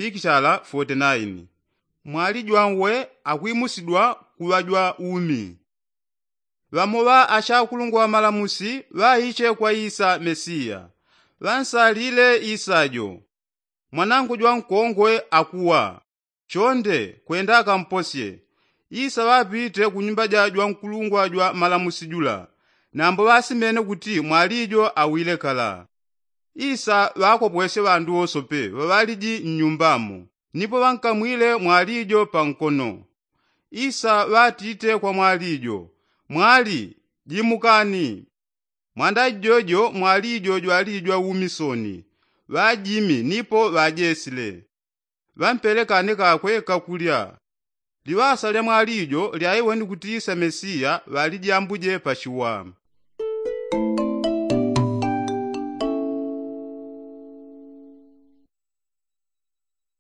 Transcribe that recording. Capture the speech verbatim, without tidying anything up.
pikishala foti naini. Mwali jwanwe akwimusidwa kuŵa jwa umi. Ŵamo ŵa ashakulungwa ŵa malamusi ŵaiche kwa isa mesiya, ŵansalile isa jo. Mwanangu jwankongwe akuwa. Chonde kwenda akamposye. Isa ŵapite kunyumba ja jwankulungwa jwa malamusi jula, nambo ŵasimene kuti mwali jo awile kala. Isa ŵakopwesye ŵandu wosope ŵaŵaliji mnyumbamo, nipo ŵankamwile mwali jo pankono. Isa ŵatite kwa mwali jo, mwali, jimukani. Mwanda jojo mwali jo jwali jwa umi soni. Ŵajimi nipo ŵajesile. Ŵampele kane kakwe kakulya. Liŵasa lya mwali jo lyaiweni kuti isa mesiya ŵalijambuje pachiwa.